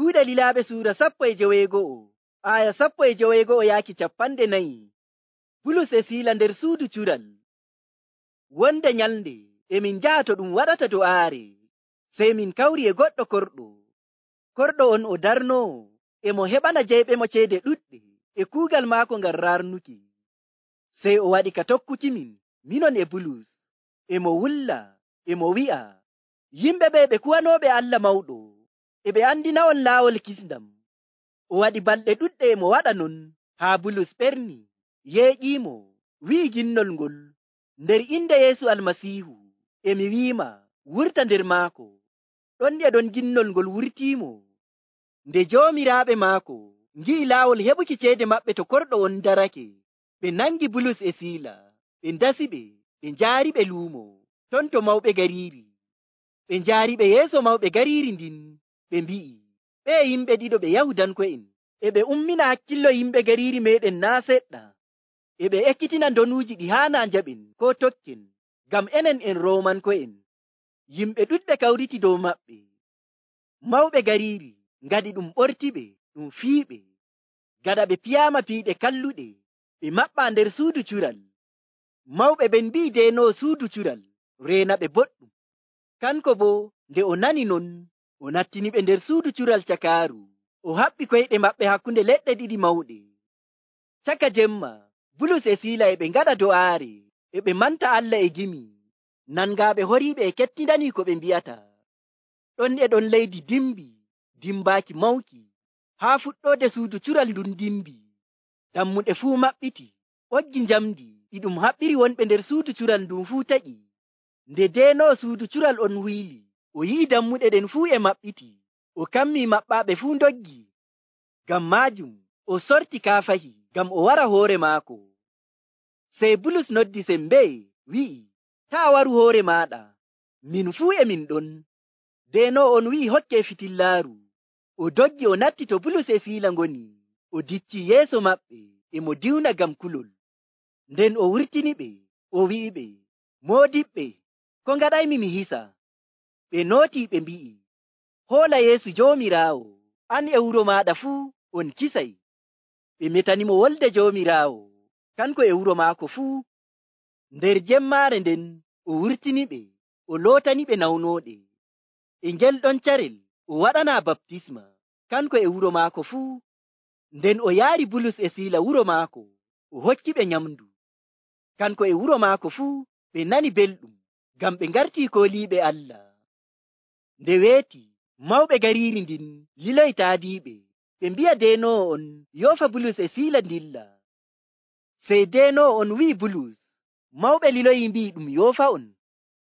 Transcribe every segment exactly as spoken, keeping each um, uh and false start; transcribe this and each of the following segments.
Kuuɗe Lilaaɓe suura sappo e joweego'o, aya sappo e joweego'o yaaki cappanɗe nayi. Bulus e Siila nder suudu cural. Wonde nyalnde e min njaha to ɗum waɗata do'aare, sey min kawri e goɗɗo korɗo. Korɗo on o darnoo e mo heɓana jeyɓemo ceede ɗuɗɗe e kuugal maako ngam raarnuki. Sey o waɗi ka tokkukimin, minon e Bulus, e mo wulla, e mo wi'a, yimɓe ɓe ɓe kuwanooɓe Allah mawɗo, e ɓe andina'on laawol kisndam. O waɗi balɗe ɗuɗɗe e mo waɗa non, haa Bulus ɓerni, yeeƴiimo, wi'i ginnol ngol, nder inde Yeesu Almasiihu, e mi wi'ima, wurta nder maako. Ɗon e ɗon ginnol ngol wurtiimo. Nde joomiraaɓe maako ngi'i laawol heɓuki ceede maɓɓe to korɗo on darake, ɓe nangi Bulus e Siila, ɓe ndasiɓe, ɓe njaariɓe luumo, ton to mawɓe gariiri. Ɓe njaariɓe yeeso mawɓe gariiri ndin, ɓe mbi'i, ɓee yimɓe ɗiɗo ɓe Yahudanko'en, e ɓe ummina hakkillo yimɓe gariiri meeɗen naa' seɗɗa, e ɓe ekkitina ndonuuji ɗi haanaa njaɓen koo tokken, ngam enen en Roomanko'en. Yimɓe ɗuɗɓe kawriti dow maɓɓe. Mawɓe gariiri ngaɗi ɗum ɓortiɓe, ɗum fiiɓe. Gaɗa ɓe piyaama piiɗe kalluɗe, ɓe maɓɓaa nder suudu cural. Mawɓe ɓen mbi'i deenoowo suudu cural, reena ɓe boɗɗum. Kanko boo nde o nani non, o nattiniɓe nder suudu cural cakaaru, o haɓɓi koyɗe maɓɓe hakkunde leɗɗe ɗiɗi mawɗe. Caka jemma, Bulus e Siila e ɓe ngaɗa do'aare, e ɓe manta Allah e gimi, nangaaɓe horiiɓe e kettindanii ko ɓe mbi'ata. Ɗon e ɗon leydi dimbi, dimbaaki mawki, haa fuɗɗoode suudu cural ndun dimbi. Dammuɗe fuu maɓɓiti, ɓoggi njamdi ɗi ɗum haɓɓiri wonɓe nder suudu cural ndun fuu taƴi. Nde deenoowo suudu cural on huyli, o yi'i dammuɗe ɗen fuu e maɓɓiti, o kammii maɓɓaaɓe fuu ndoggi. Ngam maajum o sorti kaafahi ngam o wara hoore maako. Sey Bulus noddi sembe, wi'i, taa waru hoore maaɗa, min fuu e min ɗon. Deenoowo on wi'i hokkee fitillaaru. O doggi o natti to Bulus e Siila ngoni, o diccii yeeso maɓɓe, e mo diwna ngam kulol. Nden o wurtiniɓe, o wi'iɓe, moodiɓɓe, ko ngaɗaymi mi hisa? Ɓe nootii ɓe mbi'i, hoola Yeesu Joomiraawo, an e wuro maaɗa fuu on kisay. Ɓe metanimo wolde Joomiraawo, kanko e wuro maako fuu. Nder jemmaare nden o wurtiniɓe, o lootaniɓe nawnooɗe. E ngel ɗon carel o waɗanaa baptisma, kanko e wuro maako fuu. Nden o yaari Bulus e Siila wuro maako, o hokkiɓe nyamndu. Kanko e wuro maako fuu ɓe nani belɗum, ngam ɓe ngartii kooliiɓe Allah. Nde weeti, mawɓe gariiri ndin liloyi taadiiɓe, ɓe mbi'a deenoowo on yoofa Bulus e Siila ndilla. Sey deenoowo on wi'i Bulus, mawɓe liloyi mbi'i ɗum yoofa on.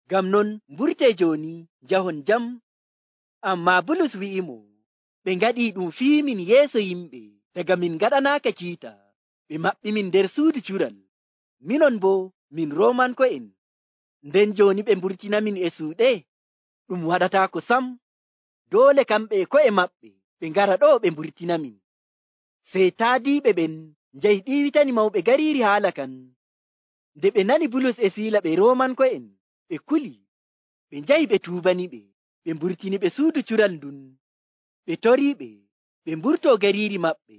Ngam non mburtee jooni, njahon jam. Ammaa Bulus wi'imo, ɓe ngaɗii ɗum fiimin yeeso yimɓe, daga min ngaɗanaaka kiita, ɓe maɓɓi min nder suudu cural. Minon boo min Roomanko'en. Nden jooni ɓe mburtinamin e suuɗe? Ɗum waɗataako sam. Doole kamɓe e ko'e maɓɓe ɓe ngara ɗo ɓe mburtinamin. Sey taadiiɓe ɓen njahi ɗiiwitani mawɓe gariiri haala kan. Nde ɓe nani Bulus e Siila ɓe Roomanko'en, ɓe kuli, ɓe njahi ɓe tuubaniɓe, ɓe mburtiniɓe suudu cural ndun. Ɓe toriiɓe, ɓe mburtoo gariiri maɓɓe.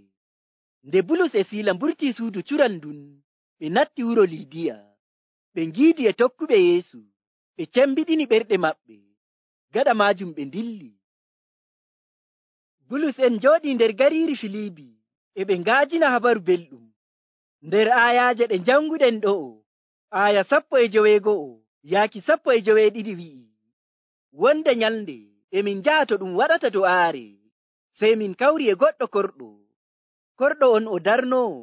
Nde Bulus e Siila mburtii suudu cural ndun, ɓe natti wuro Liidiya. Ɓe ngiidi e tokkuɓe Yeesu, ɓe cembiɗini ɓerɗe maɓɓe. Gaɗa maajum ɓe ndilli. Bulus en njooɗii nder gariiri Filiibi, e ɓe ngaajina habaru belɗum. Nder aayaaje ɗe njannguɗen ɗo'o, aaya sappo e joweego'o yaaki sappo e joweeɗiɗi wi'i, wonde nyalnde e min njaha to ɗum waɗata do'aare, sey min kawri e goɗɗo korɗo. Korɗo on o darnoo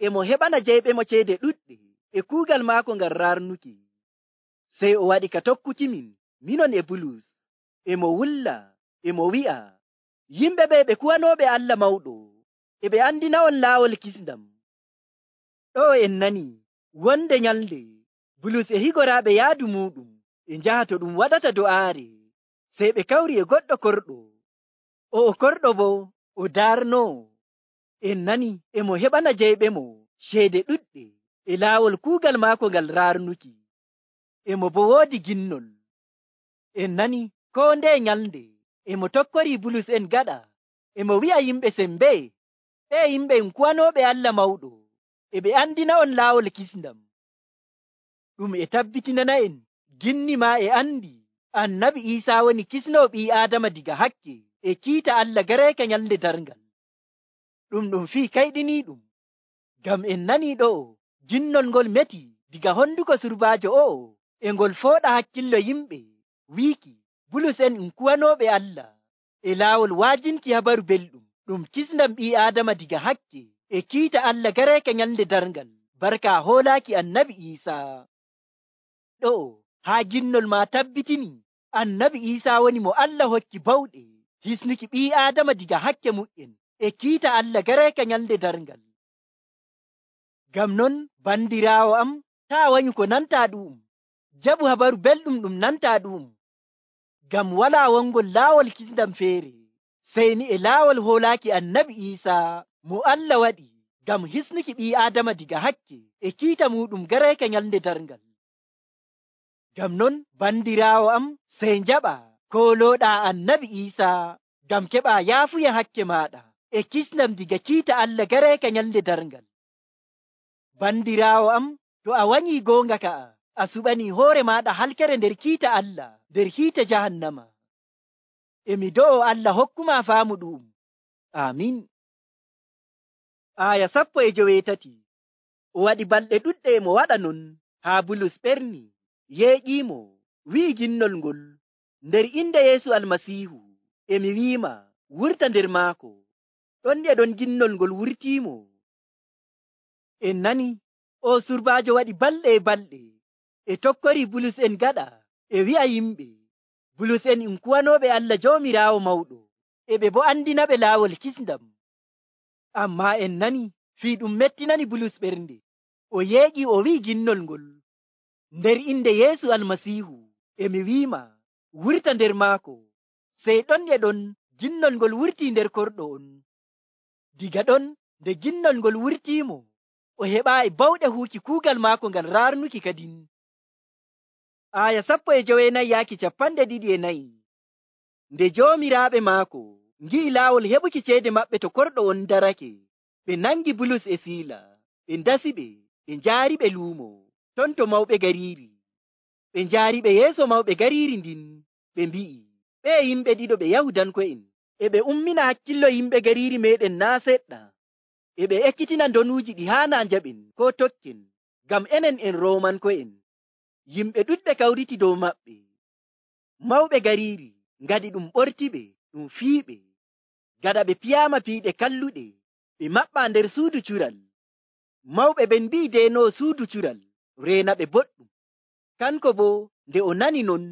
e mo heɓana jeyɓemo ceede ɗuɗɗe e kuugal maako ngam raarnuki. Sey o waɗi ka tokkukimin, minon e Bulus, e mo wulla, e mo wi'a, yimɓe ɓe ɓe kuwanooɓe Allah mawɗo, e ɓe andina'on laawol kisndam. Ɗo en nani, wonde nyalnde Bulus e higoraaɓe yaadu muuɗum e njaha to ɗum waɗata do'aare, sey ɓe kawri e goɗɗo korɗo. O'o korɗo boo o daarnoo, en nani e mo heɓana jeyɓemo ceede ɗuɗɗe e laawol kuugal maako ngal raarnuki. E mo boo woodi ginnol. En nani koo ndeye nyalnde e mo tokkorii Bulus en gaɗa e mo wi'a yimɓe sembe, ɓe yimɓe en kuwanooɓe Allah mawɗo, e ɓe andina on laawol kisndam. Ɗum e tabbitinana en ginni maa e andi annabi Iisaa woni kisnoo ɓii Aadama diga hakke e kiita Allah gareeka nyalnde darngal. Ɗum ɗum fii kayɗiniiɗum, ngam en nanii ɗo'o ginnol ngol meti diga honduko surbaajo o'o e ngol fooɗa hakkillo yimɓe, wiiki Bulus en en kuwanooɓe Allah e laawol wa'ajinki habaru belɗum ɗum kisndam ɓii Aadama diga hakke e kiita Allah gareeka nyalnde darngal barka hoolaaki annabi Iisaa. Ɗo'o haa ginnol maa tabbitini annabi Iisaa woni mo Allah hokki bawɗe hisnuki ɓii Aadama diga hakke mu'en e kiita Allah gareeka nyalnde darngal. Ngam non bandiraawo am, taa wanyu ko nantaa ɗu'um, jaɓu habaru belɗum ɗum nantaa ɗu'um, ngam walaa wongol laawol kisndam feere sey ni e laawol hoolaaki annabi Iisaa mo Allah waɗi ngam hisnuki ɓii Aadama diga hakke e kiita muɗum gareeka nyalnde darngal. Ngam non bandiraawo am, sey njaɓa koolooɗaa annabi Iisaa ngam keɓaa yaafuya hakke maaɗa e kisndam diga kiita Allah gareeka nyalnde darngal. Bandiraawo am, to a wanyii goonga ka'a, a suɓanii hoore maaɗa halkere nder kiita Allah nder hiite jahannama. Emi do'o Allah hokkuma faamu ɗu'um. Aamin. Aaya sappo e joweetati. O waɗi balɗe ɗuɗɗe e mo waɗa non haa Bulus ɓerni, yeeƴiimo, wi'i ginnol ngol, nder inde Yeesu Almasiihu, emi wi'ima wurta nder maako. Ɗon e ɗon ginnol ngol wurtiimo. En nani o surbaajo waɗi balɗe e balɗe e tokkori Bulus en gaɗa e wi'a yimɓe Bulus en en kuwanooɓe Allah Joomiraawo mawɗo, e ɓe bo andinaɓe laawol kisndam. Ammaa en nani fii ɗum mettinani Bulus ɓernde, o yeeƴi o wi'i ginnol ngol, nder inde Yeesu Almasiihu, emi wi'ima wurta nder maako. Sey ɗon e ɗon ginnol ngol wurtii nder korɗo on. Diga ɗon nde ginnol ngol wurtiimo, o heɓaayi bawɗe huuki kuugal maako ngal raarnuki kadin. Aaya sappo e joweenayi yaaki capanɗe ɗiɗi e nayi. Nde joomiraaɓe maako ngi'i laawol heɓuki ceede maɓɓe to korɗo on darake, ɓe nangi Bulus e Siila, ɓe ndasi ɓe, ɓe njaari ɓe luumo ton to mawɓe gariiri. Ɓe njaari ɓe yeeso mawɓe gariiri ndin, ɓe mbi'i, ɓee yimɓe ɗiɗo ɓe Yahudanko'en, e ɓe ummina hakkillo yimɓe gariiri meeɗen naa seɗɗa, e ɓe ekkitina ndonuuji ɗi haanaa njaɓen koo tokken, ngam enen en Roomanko'en. Yimɓe ɗuɗɓe kawriti dow maɓɓe. Mawɓe gariiri ngadi ɗum ɓortiɓe, ɗum fiiɓe. Gaɗa ɓe piyaama piiɗe kalluɗe, ɓe maɓɓaa nder suudu cural. Mawɓe ɓen mbi'i deenoowo suudu cural, reena ɓe boɗɗum. Kanko boo nde o nani non,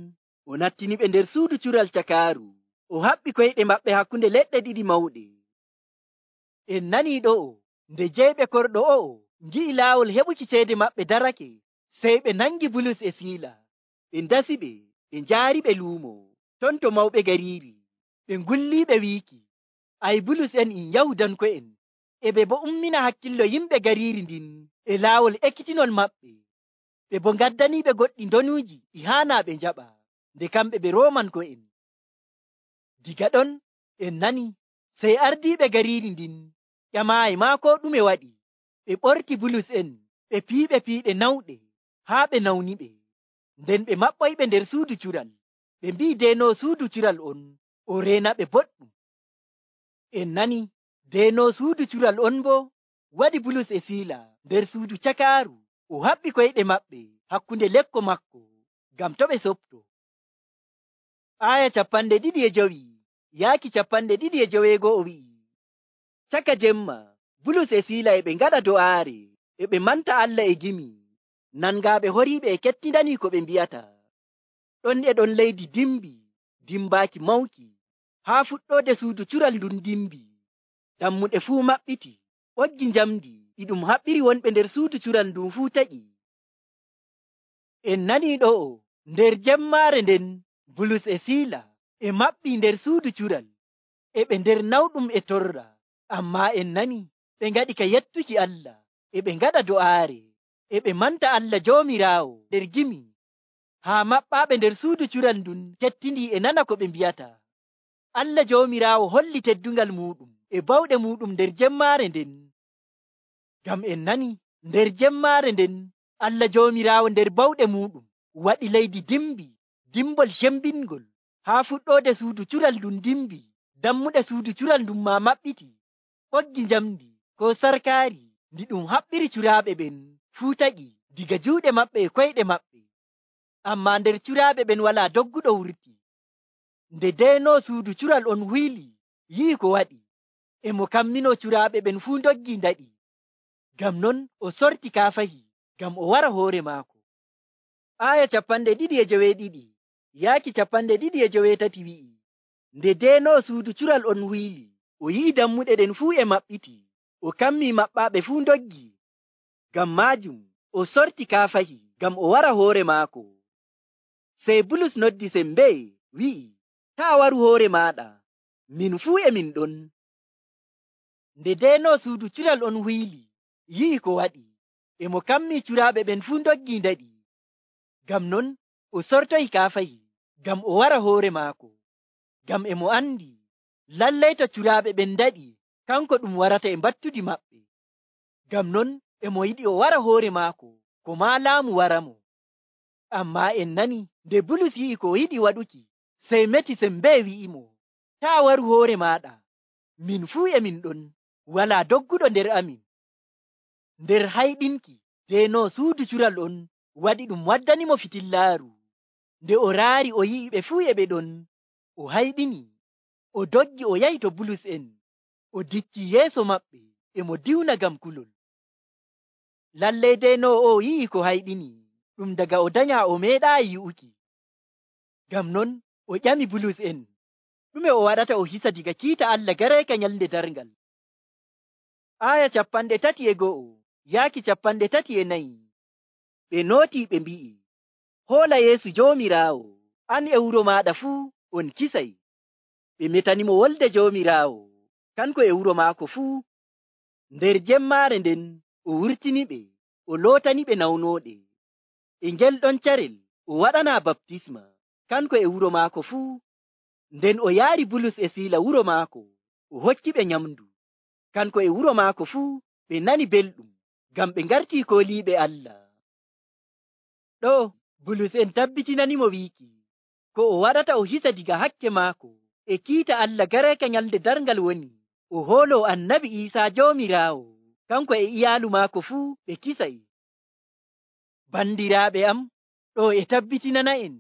o nattiniɓe nder suudu cural cakaaru, o haɓɓi koyɗe maɓɓe hakkunde leɗɗe ɗiɗi mawɗe. En nanii ɗo'o, nde jeyɓe korɗo o'o ngi'i laawol heɓuki ceede maɓɓe darake, sey ɓe nangi Bulus e Siila, ɓe ndasi ɓe, ɓe njaari ɓe luumo ton to mawɓe gariiri, ɓe ngulliiɓe wiiki, ay Bulus en en Yahudanko'en, e ɓe bo ummina hakkillo yimɓe gariiri ndin e laawol ekkitinol maɓɓe, ɓe bo ngaddaniiɓe goɗɗi ndonuuji ɗi haanaa ɓe njaɓa, nde kamɓe ɓe Roomanko'en. Diga ɗon en nani sey ardiiɓe gariiri ndin ƴamaayi maa koo ɗume waɗi, ɓe ɓorti Bulus en, ɓe piiɓe piiɗe nawɗe haa ɓe nawniɓe, nden ɓe maɓɓoyɓe nder suudu cural, ɓe mbi'i deenoowo suudu cural on, o reena ɓe boɗɗum. En nani deenoowo suudu cural on boo waɗi Bulus e Siila nder suudu cakaaru, o haɓɓi koyɗe maɓɓe hakkunde lekko makko ngam to ɓe sopto. Aaya capanɗe ɗiɗi e jowi yaaki capanɗe ɗiɗi e joweego'o wi'i, caka jemma Bulus e Siila e ɓe ngaɗa do'aare, e ɓe manta Allah e gimi, nangaaɓe horiiɓe e kettindanii ko ɓe mbi'ata. Ɗon e ɗon leydi dimbi, dimbaaki mawki, haa fuɗɗoode suudu cural ndun dimbi, dammuɗe fuu maɓɓiti, ɓoggi njamdi ɗi ɗum haɓɓiri wonɓe nder suudu cural ndun fuu taƴi. En nanii ɗo'o, nder jemmaare nden Bulus e Siila e maɓɓii nder suudu cural, e ɓe nder nawɗum e torra, ammaa en nani ɓe ngaɗi ka yettuki Allah, e ɓe ngaɗa do'aare, e ɓe manta Allah Joomiraawo nder gimi, haa maɓɓaaɓe nder suudu cural ndun kettindii e nana ko ɓe mbi'ata. Allah Joomiraawo holli teddungal muɗum e bawɗe muɗum nder jemmaare nden. Ngam en nani nder jemmaare nden Allah Joomiraawo nder bawɗe muɗum waɗi leydi dimbi, dimbol cembingol. Haa fuɗɗoode suudu cural ndun dimbi, dammuɗe suudu cural ndun maa maɓɓiti. Ɓoggi njamndi ko sarkaari ndi ɗum haɓɓiri curaaɓe ɓen fuu taƴi diga juuɗe maɓɓe e koyɗe maɓɓe. Ammaa nder curaaɓe ɓen walaa dogguɗo wurti. Nde deynoo suudu cural on huyli yi'i ko waɗi, e mo kamminoo curaaɓe ɓen fuu ndoggi ndaɗi. Ngam non o sorti kaafahi ngam o wara hoore maako. Aaya capanɗe ɗiɗi e joweeɗiɗi yaaki capanɗe ɗiɗi e joweetati wi'i, nde deynoo suudu cural on huyli, o yi'i dammuɗe ɗen fuu e maɓɓiti, o kammii maɓɓaaɓe fuu ndoggi. Ngam maajum o sorti kaafahi ngam o wara hoore maako. Sey Bulus noddi sembe wi'i, taa waru hoore maaɗa, min fuu e min ɗon. Nde deynoo suudu cural on huyli yi'i ko waɗi, e mo kammii curaaɓe ɓen fuu ndoggi ndaɗi. Ngam non o sortoyi kaafahi ngam o wara hoore maako. Ngam e mo andi lallay to curaaɓe ɓen ndaɗi, kanko ɗum warata e mbattudi maɓɓe. Ngam non e mo yiɗi o wara hoore maako, ko maa laamu waramo. Ammaa en nani nde Bulus yi'i ko o yiɗi waɗuki, sey meti sembe wi'imo, taa waru hoore maaɗa, min fuu e min ɗon, walaa dogguɗo nder amin. Nder hayɗinki deynoo suudu cural on waɗi ɗum waddanimo fitillaaru. Nde o raari o yi'i ɓe fuu e ɓe ɗon, o hayɗini, o doggi o yahi to Bulus en, o dicci yeeso maɓɓe e mo diwna ngam kulol. Lallay deynoo o yi'i ko hayɗini ɗum daga o danyaa o meeɗaayi yi'uki. Ngam non o ƴami Bulus en, ɗume o waɗata o hisa diga kiita Allah gareeka nyalnde darngal. Aaya capanɗe tati e go'o yaaki capanɗe tati e nayi. Ɓe nootii ɓe mbi'i, hoola Yeesu Joomiraawo, an e wuro maaɗa fuu on kisay. Ɓe metanimo wolde Joomiraawo, kanko e wuro maako fuu. Nder jemmaare nden o wurtiniɓe, o lootaniɓe nawnooɗe. E ngel ɗon carel o waɗanaa baptisma, kanko e wuro maako fuu. Nden o yaari Bulus e Siila wuro maako, o hokkiɓe nyamndu. Kanko e wuro maako fuu ɓe nani belɗum, ngam ɓe ngartii kooliiɓe Allah. Ɗo Bulus en tabbitinanimo wiiki ko o waɗata o hisa diga hakke maako e kiita Allah gareeka nyalnde darngal woni o hooloo Annabi Iisaa Joomiraawo, kanko e iyaalu maako fuu ɓe kisay. Bandiraaɓe am, ɗo e tabbitinana en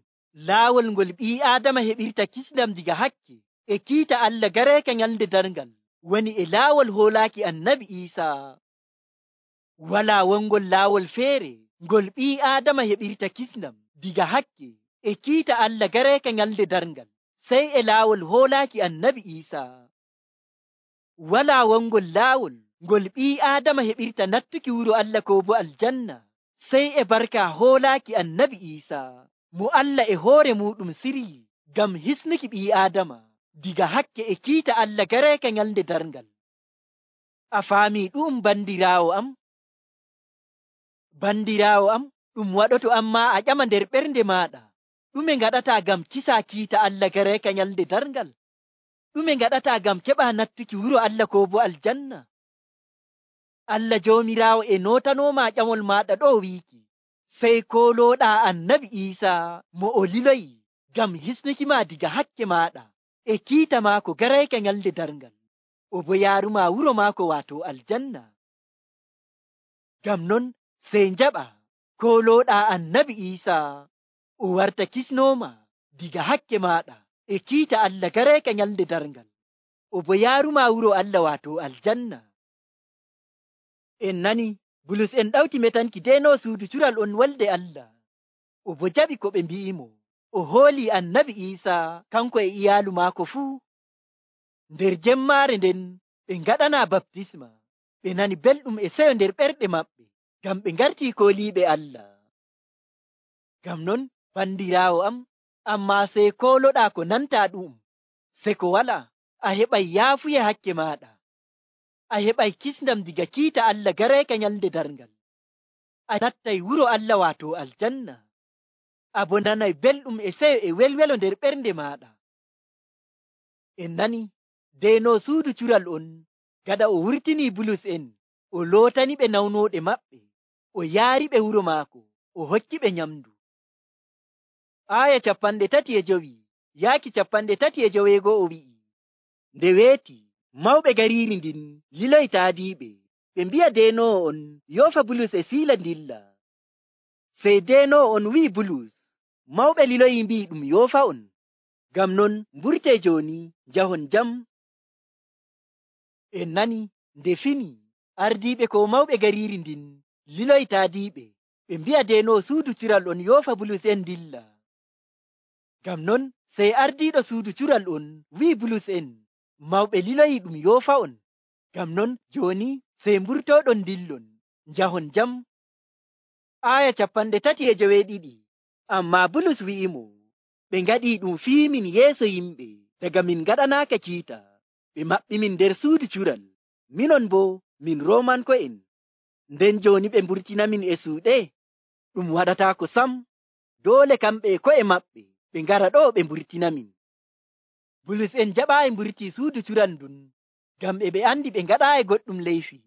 laawol ngol ɓii Aadama heɓirta kisndam diga hakke e kiita Allah gareeka nyalnde darngal woni e laawol hoolaaki Annabi Iisaa. Walaa wongol laawol feere ngol ɓii Aadama heɓirta kisndam diga hakke e kiita Allah gareeka nyalnde darngal, sey e laawol hoolaaki Annabi Iisaa. Walaa wongol laawol ngol ɓii Aadama heɓirta nattuki wuro Allah ko bo aljanna, sey e barka hoolaaki Annabi Iisaa, mo Allah e hoore muɗum siryi ngam hisnuki ɓii Aadama diga hakke e kiita Allah gareeka nyalnde darngal. A faamii ɗum bandiraawo am? Bandiraawo am, ɗum waɗoto ammaa a ƴama nder ɓernde maaɗa, ɗume ngaɗataa ngam kisaa kiita Allah gareeka nyalnde darngal? Ɗume ngaɗataa ngam keɓaa nattuki wuro Allah ko bo aljanna? Allah Joomiraawo e nootanoomaa ƴamol maaɗa ɗo wiiki, sey koolooɗaa Annabi Iisaa mo o liloyi ngam hisnuki maa diga hakke maaɗa e kiita maako gareeka nyalnde darngal, o bo yaarumaa wuro maako waato aljanna. Ngam non sey njaɓa koolooɗaa Annabi Iisaa o warta kisnooma diga hakke maaɗa e kiita Allah gareeka nyalnde darngal, o bo yaarumaa wuro Allah waato aljanna. En nani Bulus en ɗawti metanki deynoo suudu cural on wolde Allah, o bo jaɓi ko ɓe mbi'imo, o hoolii Annabi Iisaa kanko e iyaalu maako fuu. Nder jemmaare nden ɓe ngaɗanaa baptisma, ɓe nani belɗum e seyo nder ɓerɗe maɓɓe, ngam ɓe ngartii kooliiɓe Allah. Ngam non bandiraawo am, ammaa sey kooloɗaa ko nantaa ɗum, se ko walaa, a heɓay yaafuye hakke maaɗa, a heɓay kisndam diga kiita Allah gareeka nyalnde darngal, a nattay wuro Allah waato aljanna, a bo nanay belɗum e seyo e welwelo nder ɓernde maaɗa. En nani deeno suudu cural on gada o wurtini Bulus en o lootani ɓe nawnoɗe maɓɓe, o yaari ɓe wuro maako, o hokki ɓe nyamdu. Aya capanɗe tati e jowi yaaki capanɗe tati e joweego'o wi'i, nde weeti mawɓe gariiri ndin liloyi taadiiɓe, ɓe mbi'a deenowo on yoofa Bulus e Siila ndilla. Sey deenowo on wi'i Bulus, mawɓe liloyi mbi'i ɗum yoofa on, ngam non mburtee jooni njahon jam. En nani nde fini ardiiɓe ko mawɓe gariiri ndin liloyi taadiiɓe, ɓe mbi'a deenowo suudu cural on yoofa Bulus en dilla. Ngam non sey ardiiɗo suudu cural on wi'i Bulus en, mawɓe liloyi ɗum yoofa on, ngam non jooni sey mburtooɗon dillon njahon jam. Aya capanɗe tati e joweeɗiɗi. Ammaa Bulus wi'imo, ɓe ngaɗii ɗum fii min yeeso yimɓe daga min ngaɗanaaka kiita, ɓe maɓɓi min nder suudu cural, minon boo min Roomanko'en, nden jooni ɓe mburtinamin e suuɗe. Ɗum waɗataako sam, doole kamɓe e ko'e maɓɓe ɓe ngara ɗo ɓe mburtinamin. Bulus en jaɓaayi mburtii suudu cural ndun ngam e ɓe andi ɓe ngaɗaayi goɗɗum leyfi.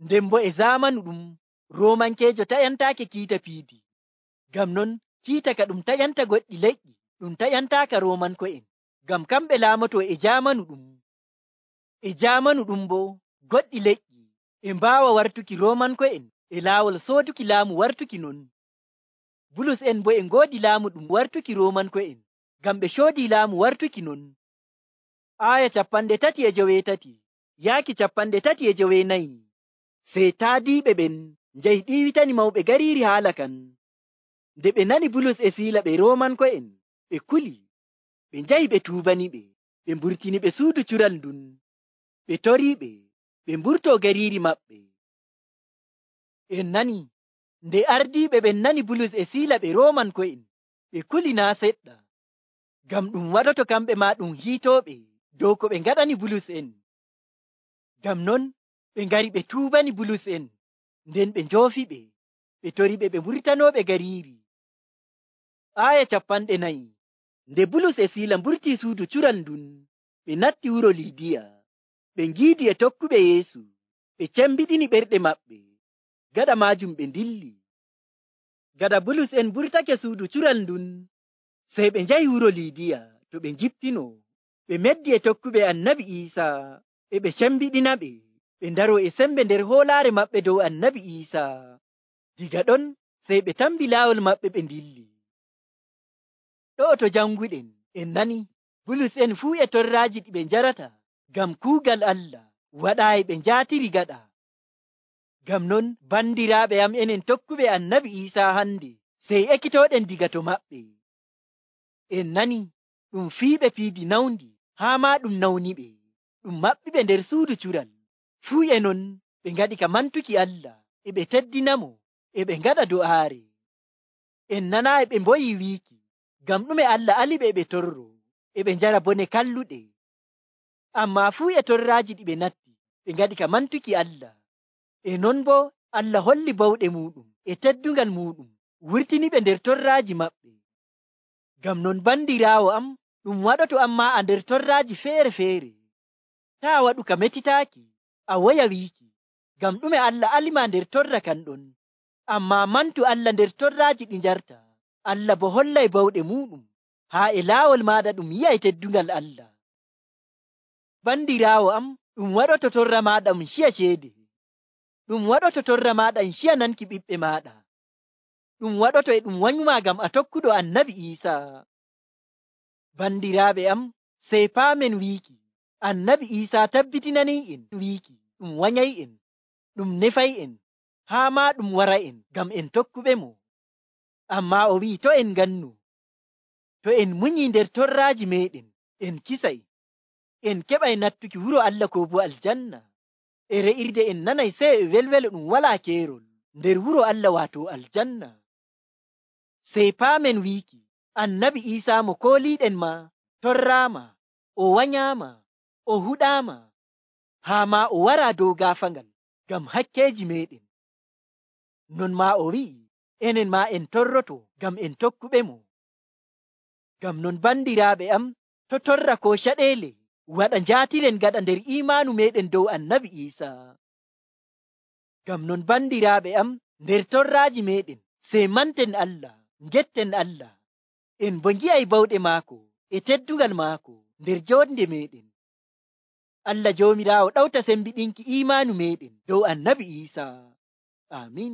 Nden bo e zamanu ɗum Roomankeejo taƴantaake kiita piidi, ngam non kiita ka ɗum taƴanta goɗɗi leƴƴi ɗum taƴantaaka Roomanko'en, ngam kamɓe laamotoo e jaamanu ɗum. E jaamanu ɗum bo goɗɗi leƴƴi e mbaawa wartuki Roomanko'en e laawol sooduki laamu wartuki non. Bulus en bo e ngoodi laamu ɗum wartuki Roomanko'en, ngam ɓe coodii laamu wartuki non. Aya capanɗe tati e joweetati yaaki capanɗe tati e joweenayi. Sey taadiiɓe ɓen njahi ɗiiwitani mawɓe gariiri haala kan. Nde ɓe nani Bulus e Siila ɓe Roomanko'en, ɓe kuli, ɓe njahi ɓe tuubaniɓe, ɓe mburtiniɓe suudu cural ndun, ɓe toriiɓe ɓe mburtoo gariiri maɓɓe. En nani nde ardiiɓe ɓen nani Bulus e Siila ɓe Roomanko'en, ɓe kuli naa seɗɗa, ngam ɗum waɗoto kamɓe maa ɗum hiitooɓe dow ko ɓe ngaɗani Bulus en. Ngam non ɓe ngari ɓe tuubani Bulus en, nden ɓe njoofiɓe, ɓe toriɓe ɓe mburtanooɓe gariiri. Aya capanɗe nayi. Nde Bulus e Siila mburtii suudu cural ndun, ɓe natti wuro Liidiya, ɓe ngiidi e tokkuɓe Yeesu, ɓe cembiɗini ɓerɗe maɓɓe. Gaɗa maajum ɓe ndilli. Gaɗa Bulus en mburtake suudu cural ndun, sey ɓe njahi wuro Liidiya to ɓe njippino, ɓe meddi e tokkuɓe Annabi Iisaa, e ɓe cembiɗinaɓe, ɓe ndaroo e sembe nder hoolaare maɓɓe dow Annabi Iisaa. Diga ɗon sey ɓe tambi laawol maɓɓe ɓe ndilli. Ɗo'o to janguɗen en nani Bulus en fuu e torraaji ɗi ɓe njarata ngam kuugal Allah waɗaayi ɓe njaatiri gaɗa. Ngam non bandiraaɓe am enen tokkuɓe Annabi Iisaa hande sey ekkitooɗen diga to maɓɓe. En nani ɗum fiiɓe piidi nawndi haa maa ɗum nawniɓe, ɗum maɓɓiɓe nder suudu cural. Fuu e non ɓe ngaɗi ka mantuki Allah, e ɓe teddinamo, e ɓe ngaɗa do'aare. En nanaayi ɓe mboyi wiiki, ngam ɗume Allah aliɓe e ɓe torro, e ɓe njara bone kalluɗe. Ammaa fuu e torraaji ɗi ɓe natti, ɓe ngaɗi ka mantuki Allah. E non bo Allah holli bawɗe muuɗum e teddungal muuɗum, wurtiniɓe nder torraaji maɓɓe. Ngam non bandiraawo am, ɗum waɗoto ammaa a nder torraaji feere-feere. Taa waɗu ka metitaaki, a woya wiiki, ngam ɗume Allah alima nder torra kan ɗon. Ammaa mantu Allah nder torraaji ɗi njarta, Allah bo hollay bawɗe muuɗum, haa e laawol maaɗa ɗum yi'ay teddungal Allah. Bandiraawo am, ɗum waɗoto torra maaɗa um ciya ceede. Ɗum waɗoto torra maaɗa um ciya nanki ɓiɓɓe maaɗa. Ɗum waɗoto e ɗum wanyuma ngam a tokkuɗo Annabi Iisaa. Bandiraaɓe am, sey paamen wiiki, Annabi Iisaa tabbitinanii'en wiiki ɗum wanyay'en, ɗum nefay'en, haa maa ɗum wara'en ngam en tokkuɓe mo. Ammaa o wi'i to en ngannu, to en munyii nder torraaji meeɗen, en kisay, en keɓay nattuki wuro Allah ko bo aljanna. E re'irde en nanay sey e welwelo ɗum walaa keerol nder wuro Allah waato aljanna. Sey paamen wiiki, Annabi Iisaa mo kooliiɗen ma torraama, o wanyaama, o huɗaama, haa maa o waraa dow gaafangal ngam hakkeeji meeɗen. Non maa o wi'i, enen maa en torroto ngam en tokkuɓe mo. Ngam non bandiraaɓe am, to torra ko caɗeele waɗa njaatiren gaɗa nder imaanu meɗen dow annabi Iisaa. Ngam non bandiraaɓe am, nder torraaji meɗen sey manten Allah, ngetten Allah, en bo ngi'ay bawɗe maako e teddungal maako nder joonde meɗen. Allah Joomiraawo ɗawta sembiɗinki imaanu meɗen dow annabi Iisaa. Aamin.